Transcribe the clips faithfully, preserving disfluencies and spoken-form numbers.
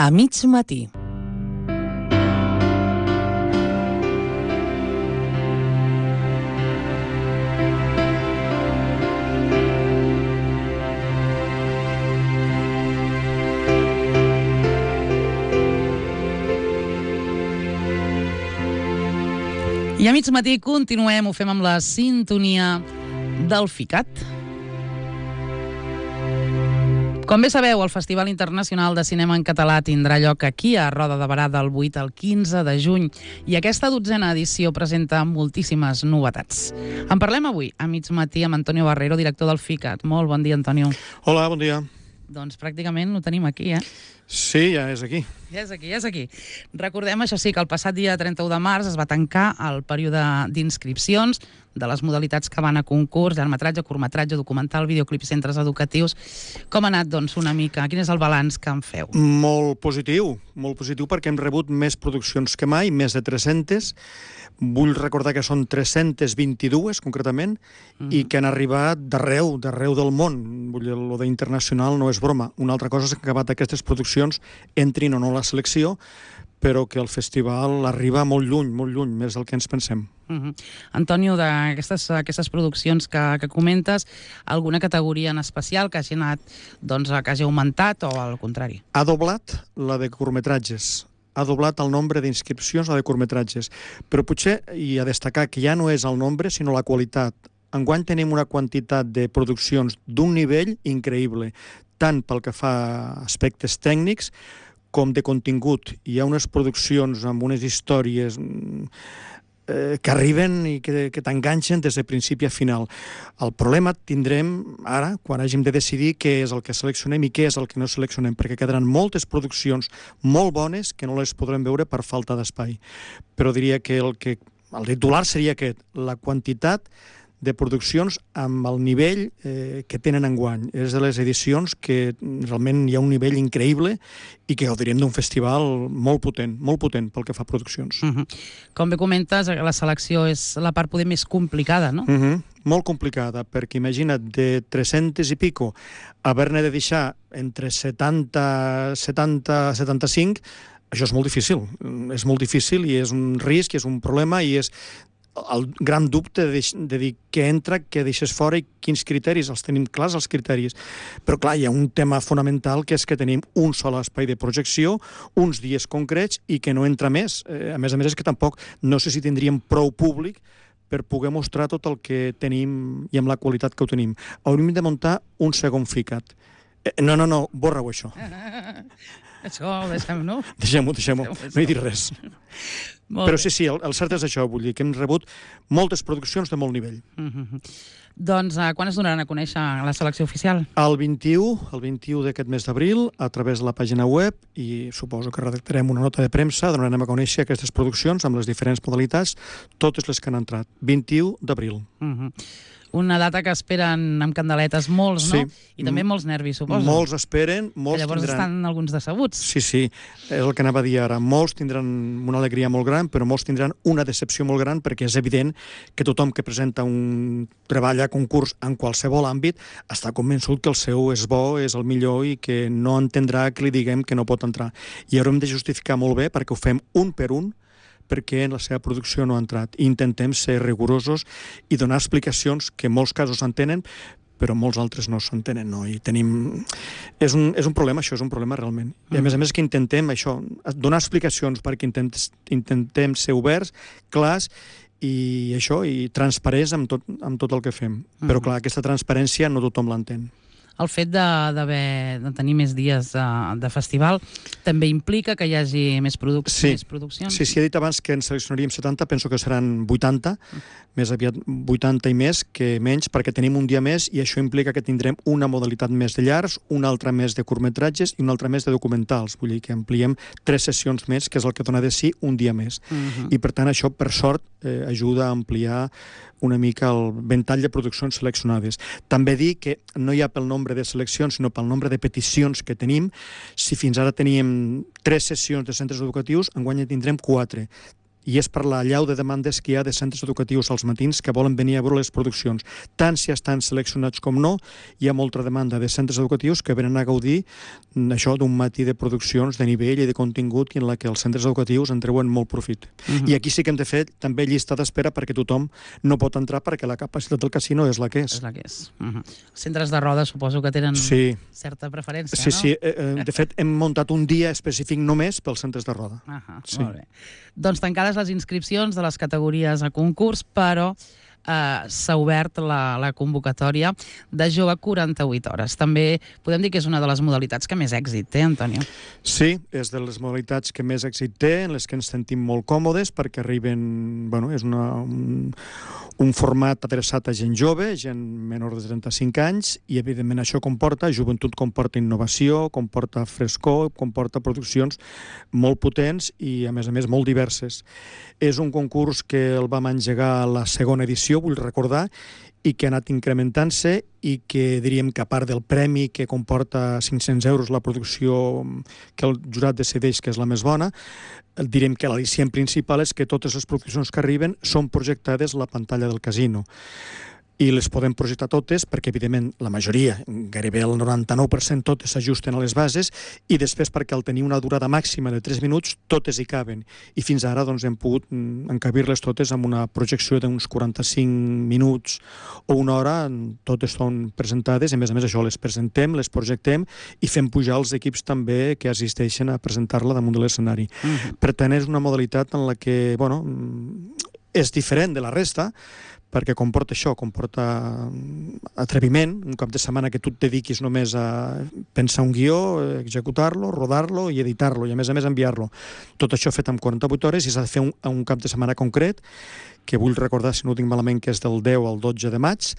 A mig matí. I a mig matí continuem, ho fem amb la sintonia del FICAT. Com bé sabeu, el Festival Internacional de Cinema en Català tindrà lloc aquí, a Roda de Berà, del vuit al quinze de juny, i aquesta dotzena edició presenta moltíssimes novetats. En parlem avui, a mig matí, amb Antonio Barrero, director del FICAT. Molt bon dia, Antonio. Hola, bon dia. Doncs pràcticament ho tenim aquí, eh? Sí, ja és aquí. Ja és aquí, ja és aquí. Recordem, això sí, que el passat dia trenta-u de març es va tancar el període d'inscripcions de les modalitats que van a concurs, llargmetratge, curtmetratge, documental, videoclip i centres educatius. Com ha anat, doncs, una mica? Quin és el balanç que en feu? Molt positiu, molt positiu perquè hem rebut més produccions que mai, més de tres-centes. Vull recordar que són tres-centes vint-i-dues, concretament, mm. i que han arribat d'arreu, d'arreu del món. Vull dir, lo d'internacional no és broma. Una altra cosa és que acabat aquestes produccions entrin o no a la selecció, però que el festival arriba molt lluny, molt lluny, més del que ens pensem. Uh-huh. Antonio, d'aquestes aquestes produccions que, que comentes, alguna categoria en especial que hagi anat, doncs, que hagi augmentat o al contrari? Ha doblat la de curtmetratges. Ha doblat el nombre d'inscripcions a de curtmetratges. Però potser, i a destacar, que ja no és el nombre, sinó la qualitat. Enguany tenim una quantitat de produccions d'un nivell increïble, tant pel que fa a aspectes tècnics com de contingut. Hi ha unes produccions amb unes històries eh, que arriben i que, que t'enganxen des de principi a final. El problema tindrem ara, quan hàgim de decidir què és el que seleccionem i què és el que no seleccionem, perquè quedaran moltes produccions molt bones que no les podrem veure per falta d'espai. Però diria que el, que el titular seria aquest, la quantitat de produccions amb el nivell eh, que tenen enguany. És de les edicions que realment hi ha un nivell increïble i que gaudiríem d'un festival molt potent, molt potent pel que fa a produccions. Uh-huh. Com bé comentes, la selecció és la part poder més complicada, no? Uh-huh. Molt complicada, perquè imagina't, de tres-centes i pico, haver-ne de deixar entre setanta, setanta, setanta-cinc, això és molt difícil. És molt difícil i és un risc, és un problema i és el gran dubte de, de dir què entra, què deixes fora i quins criteris. Els tenim clars, els criteris. Però clar, hi ha un tema fonamental que és que tenim un sol espai de projecció, uns dies concrets i que no entra més. Eh, a més a més és que tampoc no sé si tindríem prou públic per poder mostrar tot el que tenim i amb la qualitat que ho tenim. Hauríem de muntar un segon FICAT. Eh, no, no, no, borra-ho això. Això ho deixem, no? Deixem-ho, deixem-ho. No he dit res. Però sí, sí, el, el cert és això, vull dir que hem rebut moltes produccions de molt nivell. Uh-huh. Doncs uh, quan es donaran a conèixer la selecció oficial? El vint-i-u, el vint-i-u d'aquest mes d'abril, a través de la pàgina web, i suposo que redactarem una nota de premsa, donarem a conèixer aquestes produccions amb les diferents modalitats, totes les que han entrat. vint-i-u d'abril. Uh-huh. Una data que esperen amb candeletes molts, no? Sí. I també molts nervis, suposo. Molts esperen, molts que llavors tindran... estan alguns decebuts. Sí, sí, és el que anava a dir ara. Molts tindran una alegria molt gran, però molts tindran una decepció molt gran, perquè és evident que tothom que presenta un treball a concurs en qualsevol àmbit està convençut que el seu és bo, és el millor i que no entendrà que li diguem que no pot entrar. I haurem de justificar molt bé perquè ho fem un per un, perquè en la seva producció no ha entrat. I intentem ser rigorosos i donar explicacions que en molts casos s'entenen, però molts altres no s'entenen, no? I tenim... És un, és un problema, això és un problema realment. I a més a més que intentem això, donar explicacions perquè intentem, intentem ser oberts, clars, i això, i transparents amb tot, amb tot el que fem. Però clar, aquesta transparència no tothom l'entén. El fet de, de, de tenir més dies de, de festival també implica que hi hagi més, produc sí. més produccions? Sí, sí, he dit abans que en seleccionaríem setanta, penso que seran vuitanta, mm. més aviat vuitanta i més que menys, perquè tenim un dia més i això implica que tindrem una modalitat més de llargs, una altra més de curtmetratges i una altra més de documentals. Vull dir que ampliem tres sessions més, que és el que dona de si un dia més. Mm-hmm. I per tant això, per sort, eh, ajuda a ampliar una mica el ventall de produccions seleccionades. També dir que no hi ha pel nombre de seleccions, sinó pel nombre de peticions que tenim. Si fins ara teníem tres sessions de centres educatius, enguany en tindrem quatre. i és per la llau de demandes que hi ha de centres educatius als matins que volen venir a veure les produccions. Tant si estan seleccionats com no, hi ha molta demanda de centres educatius que venen a gaudir això d'un matí de produccions de nivell i de contingut en la que els centres educatius en treuen molt profit. Uh-huh. I aquí sí que hem de fer també llista d'espera perquè tothom no pot entrar perquè la capacitat del casino és la que és. És la que és. Uh-huh. Centres de roda suposo que tenen sí. certa preferència, sí, no? Sí, sí. De fet, hem muntat un dia específic només pels centres de roda. Uh-huh. Sí. Molt bé. Doncs tancades les inscripcions de les categories a concurs, però eh, s'ha obert la, la convocatòria de jove quaranta-vuit hores. També podem dir que és una de les modalitats que més èxit té, Antonio. Sí, és de les modalitats que més èxit té, en les que ens sentim molt còmodes, perquè arriben, bueno, és una, un, un format adreçat a gent jove, gent menor de trenta-cinc anys, i evidentment això comporta, joventut comporta innovació, comporta frescor, comporta produccions molt potents i, a més a més, molt diverses. És un concurs que el vam engegar a la segona edició, vull recordar, i que ha anat incrementant-se i que diríem que a part del premi que comporta cinc-cents euros la producció que el jurat decideix que és la més bona, direm que l'al·licient principal és que totes les produccions que arriben són projectades a la pantalla del casino. I les podem projectar totes perquè, evidentment, la majoria, gairebé el noranta-nou per cent totes s'ajusten a les bases i després perquè al tenir una durada màxima de tres minuts totes hi caben. I fins ara doncs, hem pogut encabir-les totes amb una projecció d'uns quaranta-cinc minuts o una hora, totes són presentades i a més a més això les presentem, les projectem i fem pujar els equips també que assisteixen a presentar-la damunt de l'escenari. Uh-huh. Per tant, és una modalitat en la que, bueno, és diferent de la resta, perquè comporta això, comporta atreviment, un cap de setmana que tu et dediquis només a pensar un guió, executar-lo, rodar-lo i editar-lo, i a més a més enviar-lo. Tot això fet en quaranta-vuit hores i s'ha de fer un, un cap de setmana concret, que vull recordar, si no ho tinc malament, que és del deu al dotze de maig,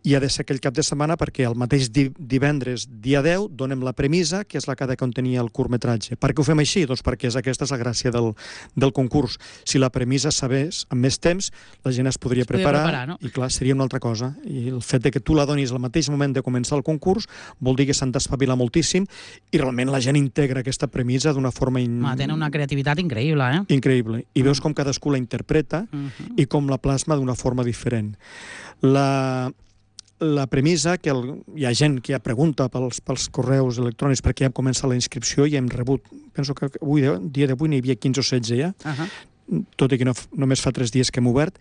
i ha de ser aquell cap de setmana perquè el mateix divendres, dia deu, donem la premissa, que és la que ha de contenir el curtmetratge. Per què ho fem així? Doncs perquè és aquesta és la gràcia del, del concurs. Si la premissa sabés amb més temps, la gent es podria es preparar, preparar no? I clar, seria una altra cosa. I el fet de que tu la donis al mateix moment de començar el concurs vol dir que s'han d'espavilar moltíssim i realment la gent integra aquesta premissa d'una forma... In... Ah, tenen una creativitat increïble, eh? Increïble. I veus com cadascú la interpreta uh-huh. i com la plasma d'una forma diferent. La... La premissa, que el, hi ha gent que ja pregunta pels, pels correus electrònics perquè ja hem començat la inscripció i hem rebut, penso que avui, dia d'avui n'hi havia quinze o setze ja, uh-huh. tot i que no, només fa tres dies que hem obert,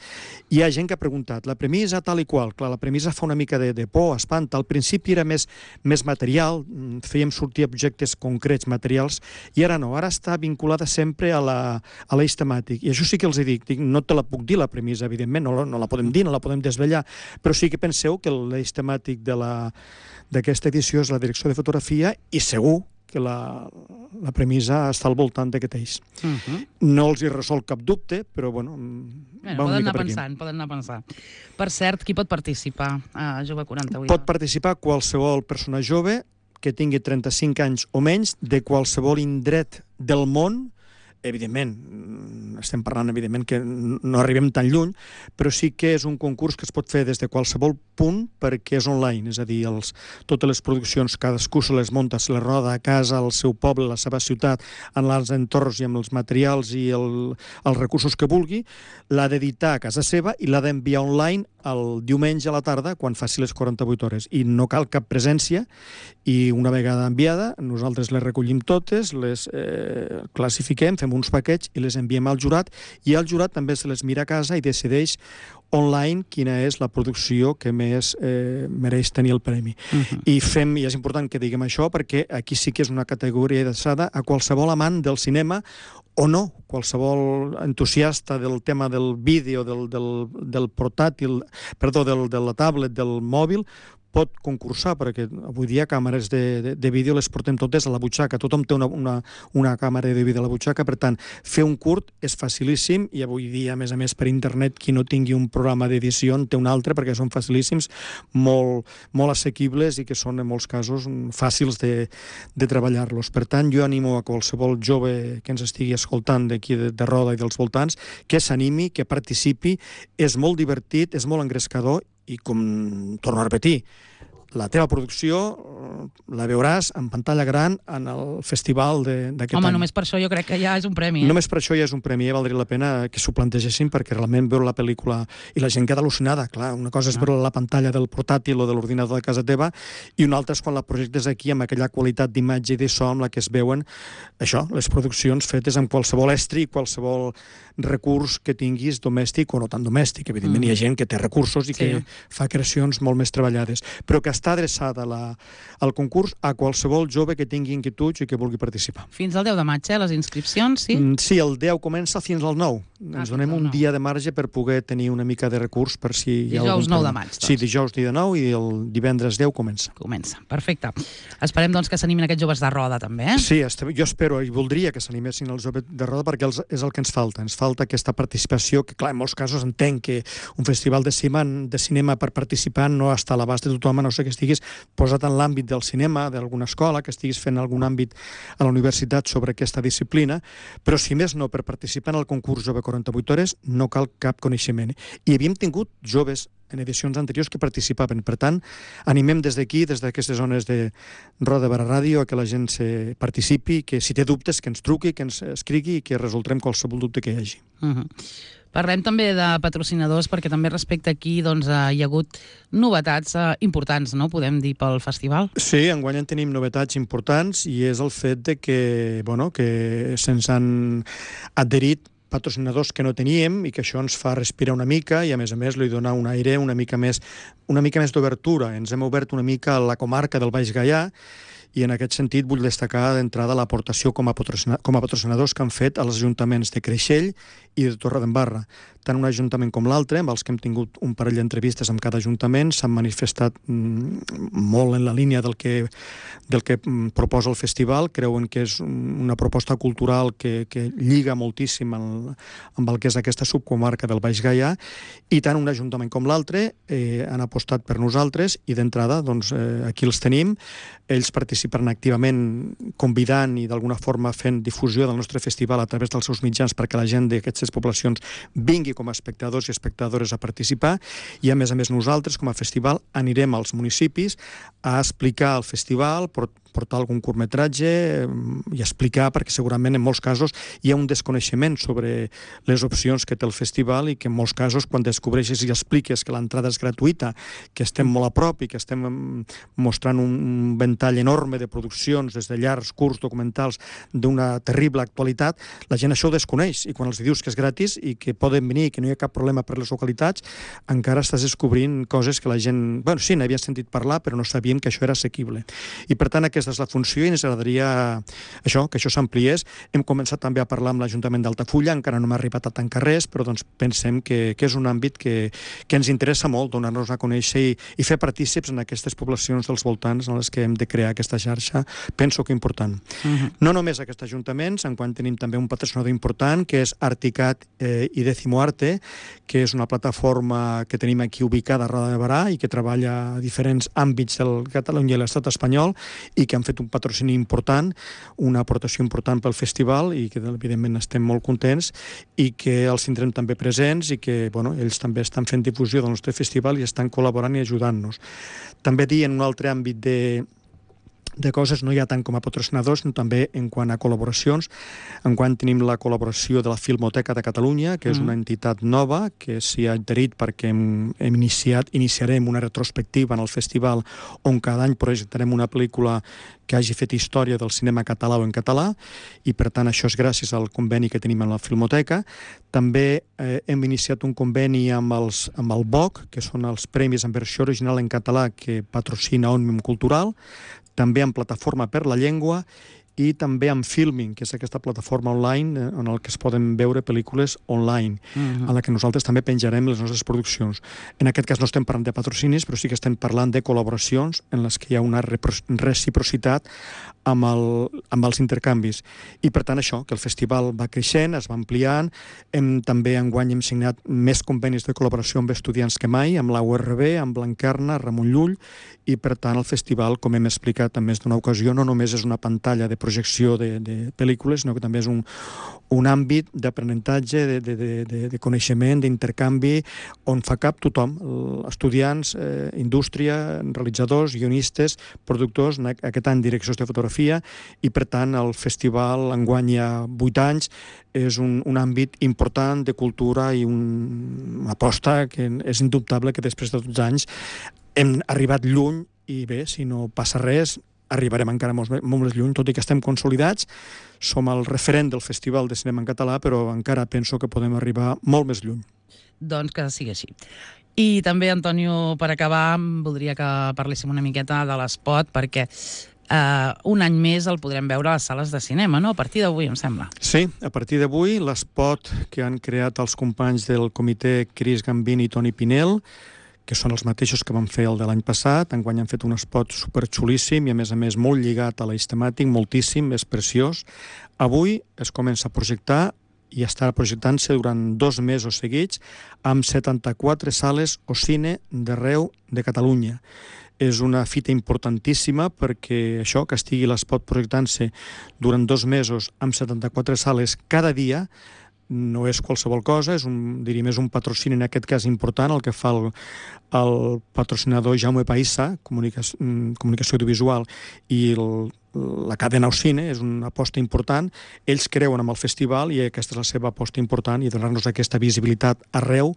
hi ha gent que ha preguntat, la premissa tal i qual, clar, la premissa fa una mica de, de por, espanta, al principi era més, més material, fèiem sortir objectes concrets, materials, i ara no, ara està vinculada sempre a la, a l'eix temàtic, i això sí que els dic, dic, no te la puc dir la premissa, evidentment, no, no la podem dir, no la podem desvetllar, però sí que penseu que l'eix temàtic de la, d'aquesta edició és la direcció de fotografia i segur que la, la premissa està al voltant d'aquest eix. Uh-huh. No els hi resol cap dubte, però bueno, bueno poden anar pensant, poden anar pensant. Per cert, qui pot participar a Jove quaranta-vuit? Pot participar qualsevol persona jove que tingui trenta-cinc anys o menys de qualsevol indret del món. Evidentment, estem parlant evidentment que no arribem tan lluny, però sí que és un concurs que es pot fer des de qualsevol punt perquè és online, és a dir, els, totes les produccions, cadascú se les munta, se les roda a casa, al seu poble, a la seva ciutat, en els entorns i amb els materials i el, els recursos que vulgui, l'ha d'editar a casa seva i l'ha d'enviar online el diumenge a la tarda quan faci les quaranta-vuit hores. I no cal cap presència i una vegada enviada nosaltres les recollim totes, les eh, classifiquem, fem uns paquets i les enviem al jurat i el jurat també se les mira a casa i decideix online quina és la producció que més eh, mereix tenir el premi. Uh-huh. I fem, i és important que diguem això perquè aquí sí que és una categoria adreçada a qualsevol amant del cinema o no, qualsevol entusiasta del tema del vídeo, del, del, del portàtil, perdó, del, de la tablet, del mòbil, pot concursar, perquè avui dia càmeres de, de, de vídeo les portem totes a la butxaca, tothom té una, una, una càmera de vídeo a la butxaca, per tant, fer un curt és facilíssim i avui dia, a més a més, per internet, qui no tingui un programa d'edició en té un altre, perquè són facilíssims, molt, molt assequibles i que són, en molts casos, fàcils de, de treballar-los. Per tant, jo animo a qualsevol jove que ens estigui escoltant d'aquí de, de Roda i dels voltants, que s'animi, que participi, és molt divertit, és molt engrescador i com torno a repetir, la teva producció la veuràs en pantalla gran en el festival d'aquest any. Home, només per això jo crec que ja és un premi. Eh? Només per això ja és un premi, ja valdria la pena que s'ho plantegessin, perquè realment veure la pel·lícula i la gent queda al·lucinada, clar, una cosa és veure la pantalla del portàtil o de l'ordinador de casa teva i una altra és quan la projectes aquí amb aquella qualitat d'imatge i de so amb la que es veuen això, les produccions fetes amb qualsevol estri, qualsevol recurs que tinguis domèstic o no tan domèstic. Evidentment mm. hi ha gent que té recursos i sí. que fa creacions molt més treballades, però que està adreçada la, al concurs a qualsevol jove que tingui inquietuds i que vulgui participar. Fins al deu de maig, eh, les inscripcions, sí? Mm, sí, el deu comença fins al nou. Ah, Ens donem un nou. dia de marge per poder tenir una mica de recurs per si hi ha dijous algun nou de maig, doncs. Sí, dijous dia nou i el divendres deu comença. Comença, perfecte. Esperem, doncs, que s'animin aquests joves de roda, també, eh? Sí, jo espero i voldria que s'animessin els joves de roda perquè els, és el que ens falta. Ens falta aquesta participació, que clar, en molts casos entenc que un festival de cinema, de cinema per participar no està a l'abast de tothom, a no ser que estiguis posat en l'àmbit del cinema, d'alguna escola, que estiguis fent algun àmbit a la universitat sobre aquesta disciplina, però si més no, per participar en el concurs Jove quaranta-vuit hores no cal cap coneixement. I havíem tingut joves en edicions anteriors que participaven. Per tant, animem des d'aquí, des d'aquestes zones de Roda de Barà Ràdio, a que la gent se participi, que si té dubtes, que ens truqui, que ens escrigui i que resoldrem qualsevol dubte que hi hagi. Uh-huh. Parlem també de patrocinadors, perquè també respecte aquí doncs, hi ha hagut novetats eh, importants, no? Podem dir, pel festival? Sí, enguany en tenim novetats importants i és el fet de que, bueno, que se'ns han adherit patrocinadors que no teníem i que això ens fa respirar una mica i a més a més li dona un aire una mica més, una mica més d'obertura. Ens hem obert una mica a la comarca del Baix Gaià i en aquest sentit vull destacar d'entrada l'aportació com a patrocinadors que han fet als ajuntaments de Creixell i de Torredembarra. Tant un ajuntament com l'altre, amb els que hem tingut un parell d'entrevistes amb cada ajuntament, s'han manifestat mm, molt en la línia del que, del que mm, proposa el festival. Creuen que és una proposta cultural que, que lliga moltíssim el, amb el que és aquesta subcomarca del Baix Gaià, i tant un ajuntament com l'altre eh, han apostat per nosaltres i d'entrada doncs, eh, aquí els tenim. Ells participaran activament convidant i d'alguna forma fent difusió del nostre festival a través dels seus mitjans perquè la gent d'aquestes poblacions vingui com a espectadors i espectadores a participar, i a més a més nosaltres com a festival anirem als municipis a explicar el festival, portar algun curtmetratge i explicar, perquè segurament en molts casos hi ha un desconeixement sobre les opcions que té el festival i que en molts casos quan descobreixes i expliques que l'entrada és gratuïta, que estem molt a prop i que estem mostrant un ventall enorme de produccions des de llargs, curts, documentals d'una terrible actualitat, la gent això ho desconeix i quan els dius que és gratis i que poden venir i que no hi ha cap problema per les localitats, encara estàs descobrint coses que la gent, bueno, sí, n'havia sentit parlar però no sabíem que això era assequible. I per tant aquesta és la funció i ens agradaria això, que això s'ampliés. Hem començat també a parlar amb l'Ajuntament d'Altafulla, encara no m'ha arribat a tancar res, però doncs pensem que, que és un àmbit que, que ens interessa molt donar-nos a conèixer i, i fer partícips en aquestes poblacions dels voltants en les que hem de crear aquesta xarxa, penso que important. Uh-huh. No només aquests ajuntaments, enquanto tenim també un patrocinador important, que és Articat eh, i Décimo Arte, que és una plataforma que tenim aquí ubicada a Roda de Barà i que treballa a diferents àmbits del Catalunya i l'estat espanyol i que han fet un patrocini important, una aportació important pel festival i que evidentment estem molt contents i que els tindrem també presents i que bueno, ells també estan fent difusió del nostre festival i estan col·laborant i ajudant-nos. També dir en un altre àmbit de de coses, no hi ha tant com a patrocinadors, sinó també en quant a col·laboracions. En quant tenim la col·laboració de la Filmoteca de Catalunya, que és una entitat nova, que s'hi ha adherit perquè hem, hem iniciat, iniciarem una retrospectiva en el festival on cada any projectarem una pel·lícula que hagi fet història del cinema català o en català, i per tant això és gràcies al conveni que tenim amb la Filmoteca. També eh, hem iniciat un conveni amb, els, amb el B O C, que són els Premis en Versió Original en Català que patrocina Òmnium Cultural, també amb Plataforma per la Llengua i també amb Filming, que és aquesta plataforma online en el que es poden veure pel·lícules online, uh-huh. en la que nosaltres també penjarem les nostres produccions. En aquest cas no estem parlant de patrocinis, però sí que estem parlant de col·laboracions en les que hi ha una reciprocitat amb, el, amb els intercanvis. I per tant això, que el festival va creixent, es va ampliant, hem, també enguany hem signat més convenis de col·laboració amb estudiants que mai, amb la U R B, amb Blanquerna, Ramon Llull, i per tant el festival, com hem explicat en més d'una ocasió, no només és una pantalla de projecció de, de pel·lícules, sinó que també és un, un àmbit d'aprenentatge, de, de, de, de, de coneixement, d'intercanvi, on fa cap tothom, estudiants, eh, indústria, realitzadors, guionistes, productors, en aquest any direccions de fotografia, i per tant el festival enguany hi ha vuit anys, és un, un àmbit important de cultura i un, una aposta que és indubtable que després de dotze anys hem arribat lluny i bé, si no passa res, arribarem encara molt, molt més lluny, tot i que estem consolidats, som el referent del Festival de Cinema en Català, però encara penso que podem arribar molt més lluny. Doncs que sigui així. I també, Antonio, per acabar, voldria que parléssim una miqueta de l'espot, perquè Uh, un any més el podrem veure a les sales de cinema, no? A partir d'avui, em sembla. Sí, a partir d'avui l'espot que han creat els companys del comitè Cris Gambini i Toni Pinel, que són els mateixos que van fer el de l'any passat, enguany han fet un espot superxulíssim i a més a més molt lligat a l'eix temàtic, moltíssim, és preciós. Avui es comença a projectar i estarà projectant-se durant dos mesos seguits amb setanta-quatre sales o cine d'arreu de Catalunya. És una fita importantíssima perquè això, que estigui l'espot projectant-se durant dos mesos amb setanta-quatre sales cada dia, no és qualsevol cosa, és un, diríem, és un patrocini en aquest cas important, el que fa el, el patrocinador Jaume Paissa, comunicació, comunicació audiovisual, i el, la cadena Ocine, és una aposta important. Ells creuen amb el festival i aquesta és la seva aposta important, i donar-nos aquesta visibilitat arreu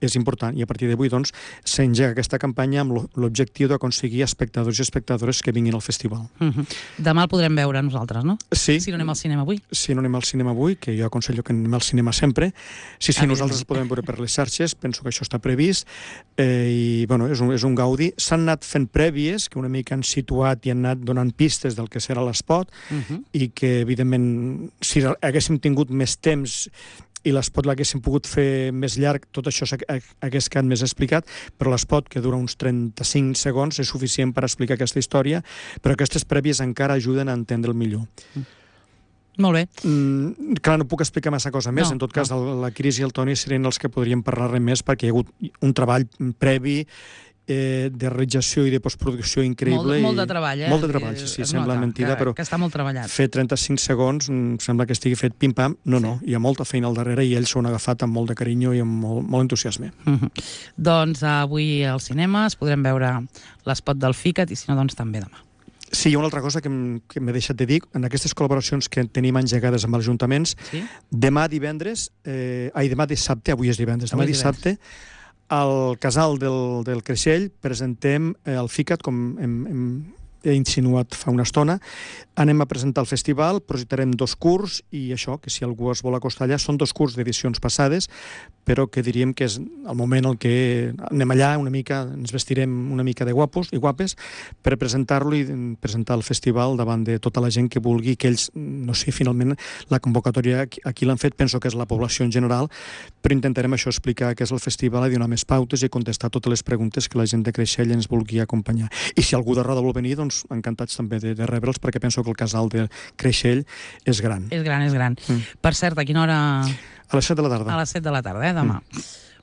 és important. I a partir d'avui, doncs, s'engega aquesta campanya amb l'objectiu d'aconseguir espectadors i espectadores que vinguin al festival. Uh-huh. Demà el podrem veure nosaltres, no? Sí. Si no anem al cinema avui. Si no anem al cinema avui, que jo aconsello que anem al cinema sempre. Si sí, nosaltres el podem veure per les xarxes, penso que això està previst, eh, i bueno, és un, és un gaudi. S'han anat fent prèvies, que una mica han situat i han anat donant pistes del que serà l'espot, uh-huh. i que, evidentment, si haguéssim tingut més temps i l'espot l'haguéssim pogut fer més llarg, tot això hagués quedat més explicat, però l'espot, que dura uns trenta-cinc segons, és suficient per explicar aquesta història, però aquestes prèvies encara ajuden a entendre'l millor. Mm. Molt bé. Mm, clar, no puc explicar massa cosa més. No, en tot cas, no. el, la Cris i el Toni serien els que podrien parlar-ne més, perquè hi ha hagut un treball previ eh, de realització i de postproducció increïble. Molt, molt de treball, eh? Molt de treball, sí, sí, sembla mentida, que, però que està molt treballat. Fer trenta-cinc segons sembla que estigui fet pim-pam. No, sí. no, hi ha molta feina al darrere i ells s'ho han agafat amb molt de carinyo i amb molt, molt entusiasme. Uh-huh. Doncs avui al cinema es podrem veure l'espot del FICAT i si no, doncs també demà. Sí, hi ha una altra cosa que m'he deixat de dir. En aquestes col·laboracions que tenim engegades amb els ajuntaments, sí? demà divendres, eh, ai, demà dissabte, avui és divendres, demà dissabte, al casal del, del Creixell presentem eh, el FICAT, com hem, hem, he insinuat fa una estona. Anem a presentar el festival, projectarem dos curs, i això, que si algú es vol acostar allà, són dos curs d'edicions passades, però que diríem que és el moment en què anem allà una mica, ens vestirem una mica de guapos i guapes per presentar-lo i presentar el festival davant de tota la gent que vulgui, que ells, no sé, finalment la convocatòria aquí l'han fet, penso que és la població en general, però intentarem això, explicar què és el festival i donar més pautes i contestar totes les preguntes que la gent de Creixell ens vulgui acompanyar. I si algú de Roda vol venir, doncs encantats també de, de rebre'ls, perquè penso que el casal de Creixell és gran. És gran, és gran. Mm. Per cert, a quina hora... A les set de la tarda. A les set de la tarda, eh, demà. Mm.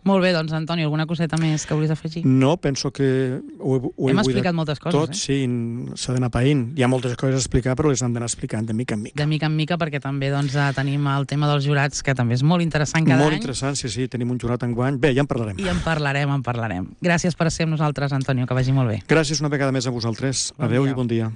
Molt bé, doncs, Antoni, alguna coseta més que vulguis afegir? No, penso que ho, ho hem explicat moltes coses, tot, eh? Sí, s'ha d'anar païnt. Hi ha moltes coses a explicar, però les hem d'anar explicant de mica en mica. De mica en mica, perquè també doncs, tenim el tema dels jurats, que també és molt interessant cada molt any. Molt interessant, sí, sí, tenim un jurat enguany. Bé, ja en parlarem. I en parlarem, en parlarem. Gràcies per ser amb nosaltres, Antonio, que vagi molt bé. Gràcies una vegada més a vosaltres. Bon Adéu dia. I bon dia.